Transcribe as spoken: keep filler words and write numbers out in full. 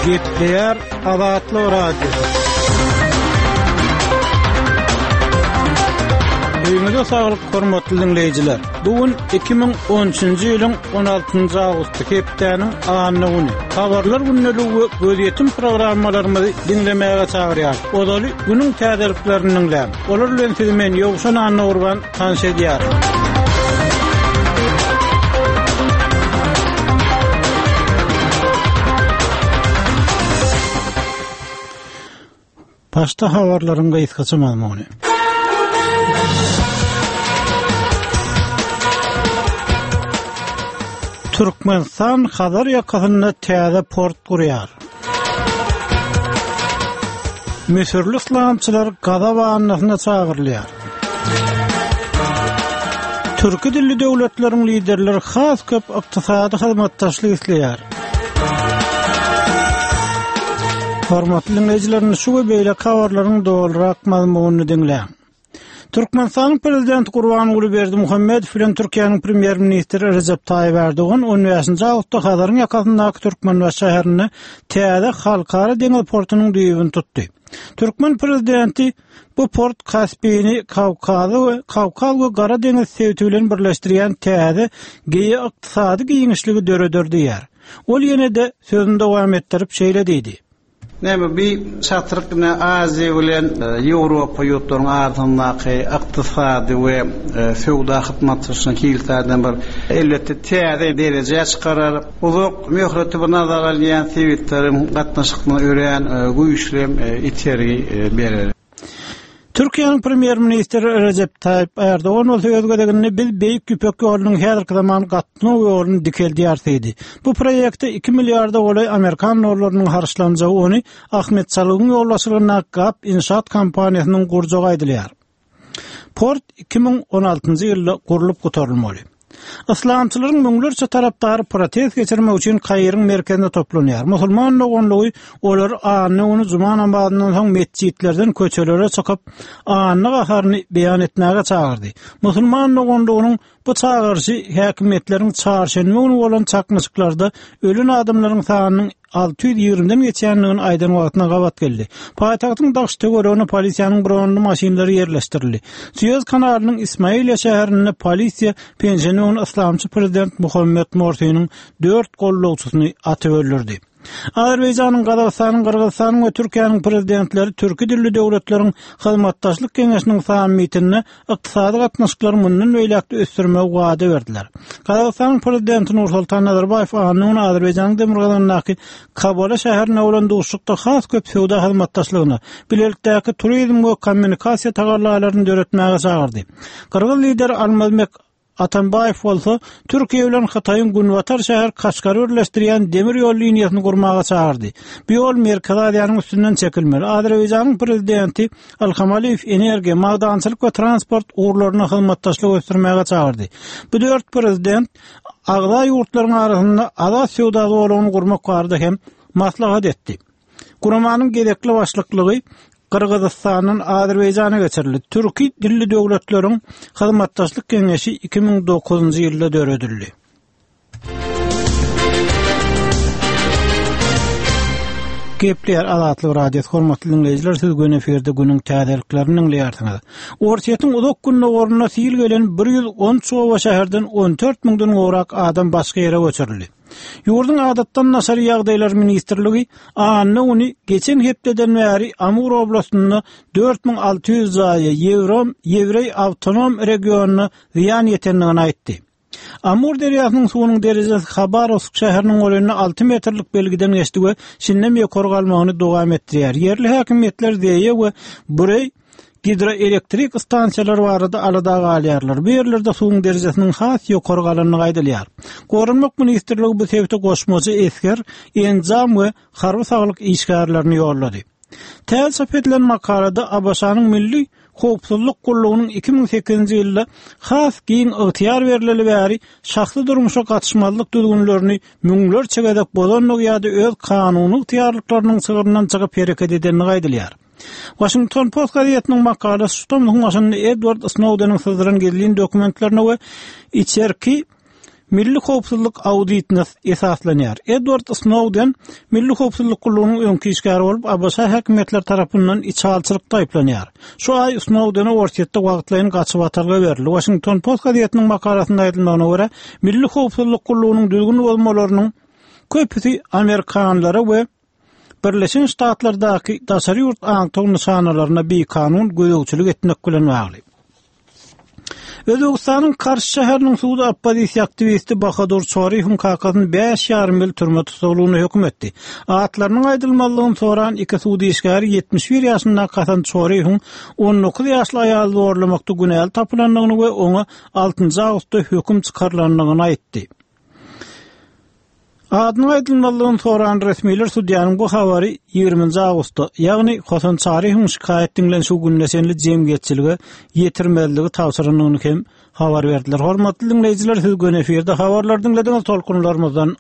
Gepleýär Azatlyk Radiosy. Öýüňize saglyk, hormatly diňleýjiler. Bu gün iki müň on üçünji ýylyň on altynjy awgusty, hepdäniň anna güni. Habarlar gündeligi we gözýetim programmalarymyzy diňlemäge çagyrýar. Ozaly günüň täzeliklerini diňläň. Olar bilen sizi men Ýowşan Annagurban tanyş edýärin. Başda habarlaryň gysgaça mazmuny. Türkmenistan Hazar ýakasynda täze port gurýar. Müsürli yslamçylar Gaza bandasyna çagyrylýar. Türki dilli döwletleriň liderleri has köp ykdysady hyzmatdaşlyk isleýär. Hormatly dinleýjiler, şu we beýleki habarlaryň dolurak mazmunyny diňläň. Türkmenistanyň Prezidenti Gurbanguly Berdimuhamedow bilen Türkiýäniň Premýer-ministri Rejep Taýyp Erdogan on bäşinji awgustda Hazaryň ýakasyndaky Türkmenbaşy şäherinde täze halkara deňiz portunyň düýbüni tutdy. Türkmen Prezidenti bu port Kaspini Kawkazy we Kawkaz we Gara deňiz sebiti bilen birleşdirýän täze geoykdysady giňişligi döreder diýýär. Ol ýene-de sözüni dowam etdirip şeýle diýdi. Näme bir çatryk ne Aziýa bilen, e, Ýewropa ýurtlaryň arasyndaky ykdysady we, e, söwda hyzmatdaşlygyny hiltäden bir elbetde täze derejä çykarar. Uzak möhleti bir nazara alýan sebitleriň gatnaşygyna örän, e, güýçli, e, itergi, e, berer. Türkiýäniň Premýer-ministri Rejep Taýyp Erdogan bolsa öz gezeginde biz Beýik Ýüpek ýolunyň häzirki zaman gatnaw ýoluny dikeldýär diýdi. Bu proýekte iki milliarda golaý Amerikan dollarynyň harçlanjagy ony Ahmet Çalygyň ýolbaşçylygyndaky Gap inşaat kompaniýasynyň gurjagy aýdylýar. Port iki müň on altynjy ýylda gurlup gutarylmaly. Yslamçylaryň müňlerçe tarapdary protest geçirmek üçin Kairiň merkezinde toplanýar. Musulman doganlygy olar anna güni juma namazyndan soň metjitlerden köçelere çykyp anna gaharyny beýan etmäge çagyrdy. Musulman doganlygynyň bu çagyryşy häkimiýetleriň çarşenbe güni bolan çaknyşyklarda ölen adamlaryň sanynyň alty ýüz ýigrimiden geçendigini aýdan wagtyna gabat geldi. Paýtagtyň daş töweregine polisiýanyň bronly maşynlary ýerleşdirildi. Suez kanalynyň Ismailiýa şäherinde polisiýa penşenbe güni yslamçy prezident Muhammed Morsiniň dört gollagçysyny atyp öldürdi. Azerbaýjanyň, Gazagystanyň, Gyrgyzystanyň we Türkiýäniň prezidentleri Türki dilli döwletleriň hyzmatdaşlyk geňeşiniň sammitinde ykdysady gatnaşyklary mundan beýläk ösdürmegi wada berdiler. Gazagystanyň prezidenti Nursultan Nazarbaýew anna güni Azerbaýjanyň demirgazygyndaky Kabala şäherinde bolan duşuşykda has köp söwda hyzmatdaşlygyna, bilelikdäki turizm we kommunikasiýa tagallalaryny döretmäge çagyrdy. Gyrgyz lideri Almazbek Atambaýew bolsa Türkiýe bilen Hytaýyň günbatar şäher Kaşgary birleşdirýän demir ýol liniýasyny gurmaga çagyrdy. Bu ýol Merkezi Aziýanyň üstünden çekilmeli. Azerbaýjanyň prezidenti Ilham Aliýew energiýa, magdançylyk we transport ugurlaryna hyzmatdaşlyk ösdürmäge çagyrdy. Bu dört prezident agza ýurtlaryň arasynda azat söwda zolagyny gurmak barada hem maslahat etdi. Guramanyň gezekli başlyklygy Gyrgyzystandan Azerbaýjana geçirildi. Türki dilli döwletleriň hyzmatdaşlyk geňeşi iki müň dokuzynjy ýylda döredildi. Gepleýär Azatlyk Radiosy, hormatly dinleýjiler, siz gün efirde günüň täzeliklerini dinleýärsiňiz. Orsýetiň uzak gündogarynda sil gelen bir ýüz on üç oba şäherden on dört müňden gowrak adam başga ýere göçürildi. Ýurduň adatdan daşary ýagdaýlar ministrligi anna güni geçen hepdeden bäri Amur oblastynda dört müň alty ýüz jaýa Ýewrom, Ýewreý awtonom regionyna zyýan ýetendigini aýtdy. Amur derýasynyň suwunyň derejesi Habarowsk şäheriniň golaýynda alty metrlik belgiden geçdi we şindem ýokary galmagyny dowam etdirýär. Ýerli häkimiýetler Zeýe we Bureý gidroelektrik stansiýalary barada alada galýarlar. Bu ýerlerde suwuň derejesiniň has ýokary galandygy aýdylýar. Goranmak ministrligi bu sebite goşmaça esger, enjam we harby saglyk işgärlerini ýollady. Täze çap edilen makalada A B Ş-nyň Milli Howpsuzlyk gullugynyň iki müň sekizinji ýylda has giň ygtyýar berileli bäri şahsy durmuşa gatyşmazlyk düzgünlerini müňlerçe gezek bozandygy ýa-da öz kanuny ygtyýarlyklarynyň çygryndan çykyp hereket edendigi aýdylýar. Washington Post gazetiniň makalasy şu tomsuň başynda Edward Snowdeniň syzdyran gizlin dokumentlerine we içerki Milli howpsuzlyk auditine esaslanýar. Edward Snowden Milli howpsuzlyk gullugynyň öňki işgäri bolup, ABŞ häkimiýetleri tarapyndan içalyçylykda aýyplanýar. Şu aý Snowdene Orsýetde wagtlaýyn gaçybatalga berildi. Washington Post gazetiniň makalasynda aýdylmagyna görä, Milli howpsuzlyk gullugynyň düzgün bozmalarynyň köpüsi amerikanlara we Birleşen Ştatlardaky daşary ýurt aňtaw nyşanalaryna bikanun gözegçilik etmek bilen bagly. Özbegistanyň Karş şäheriniň sudy oppozisiýa aktiwisti Bahadur Çoriýewiň kakasyny bäş ýarym ýyl türme tussaglygyna höküm etdi. Atlarynyň aýdylmazlygyny soran iki sud işgäri ýetmiş bir ýaşyndaky Hasan Çoriýewiň on dokuz ýaşly aýaly zorlamakda günäli tapylandygyny we oňa altynjy awgustda höküm çykarylandygyny aýtdy. Adynyň aýdylmazlygyny soran resmiler sudýanyň bu habary ýigriminji awgustda, ýagny Hasan Çaryýewiň şikaýat diňlenişigi gününe çenli jemgyýetçilige ýetirmezligi tabşyrandygyny hem habar berdiler. Hormatly diňleýjiler, siz göni efirde habarlary diňlediňiz, tolkunlarymyzdan